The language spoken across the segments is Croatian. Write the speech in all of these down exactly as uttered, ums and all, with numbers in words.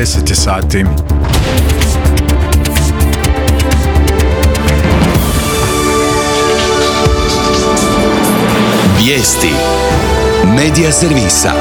deset je sati. Vijesti Medija servisa.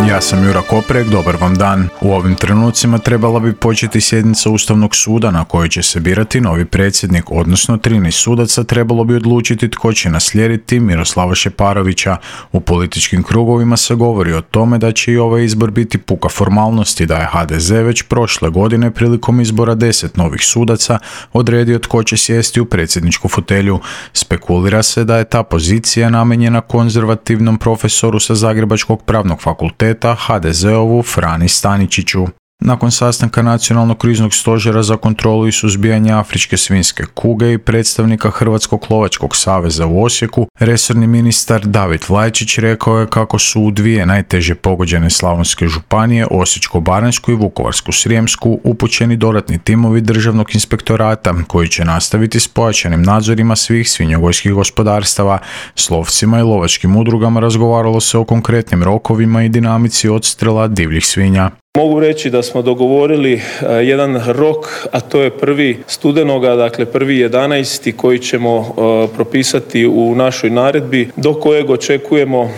Ja sam Jura Koprek, dobar vam dan. U ovim trenucima trebala bi početi sjednica Ustavnog suda na kojoj će se birati novi predsjednik, odnosno trinaest sudaca trebalo bi odlučiti tko će naslijediti Miroslava Šeparovića. U političkim krugovima se govori o tome da će i ovaj izbor biti puka formalnost i da je ha de ze već prošle godine prilikom izbora deset novih sudaca odredio tko će sjesti u predsjedničku fotelju. Spekulira se da je ta pozicija namijenjena konzervativnom profesoru sa Zagrebačkog pravnog fakulteta ha de ze-ovu Frani Staničiću. Nakon sastanka Nacionalnog kriznog stožera za kontrolu i suzbijanje afričke svinjske kuge i predstavnika Hrvatskog lovačkog saveza u Osijeku, resorni ministar David Vlajčić rekao je kako su u dvije najteže pogođene slavonske županije, Osječko-baranjsku i Vukovarsko-srijemsku, upućeni dodatni timovi Državnog inspektorata koji će nastaviti s pojačanim nadzorima svih svinjogojskih gospodarstava. S lovcima i lovačkim udrugama razgovaralo se o konkretnim rokovima i dinamici odstrela divljih svinja. Mogu reći da smo dogovorili jedan rok, a to je prvi studenoga, dakle prvi jedanaesti koji ćemo propisati u našoj naredbi, do kojeg očekujemo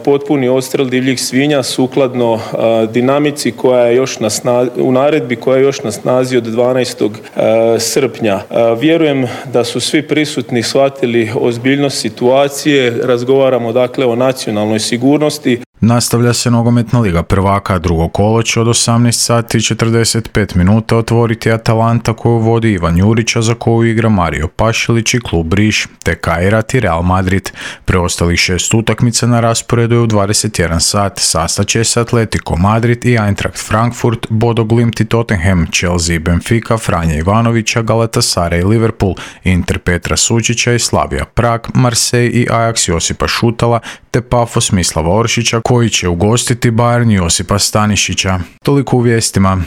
potpuni odstrel divljih svinja sukladno dinamici koja je još na snazi, u naredbi koja je još na snazi od dvanaestog srpnja. Vjerujem da su svi prisutni shvatili ozbiljnost situacije, razgovaramo dakle o nacionalnoj sigurnosti. Nastavlja se nogometna liga prvaka, drugo kolo će od osamnaest sati i četrdeset pet minuta otvoriti Atalanta koju vodi Ivan Jurić, za koju igra Mario Pašilić i klub Riš, te Kairat i Real Madrid. Preostalih šest utakmica na rasporedu je u dvadeset jedan sat. Sastaće se Atletico Madrid i Eintracht Frankfurt, Bodo Glimt i Tottenham, Chelsea i Benfica, Franja Ivanovića, Galatasaray i Liverpool, Inter Petra Sučića i Slavia Prag, Marseille i Ajax Josipa Šutala, te Pafos Mislava Oršića koji će ugostiti Bayern Josipa Stanišića. Toliko u vijestima.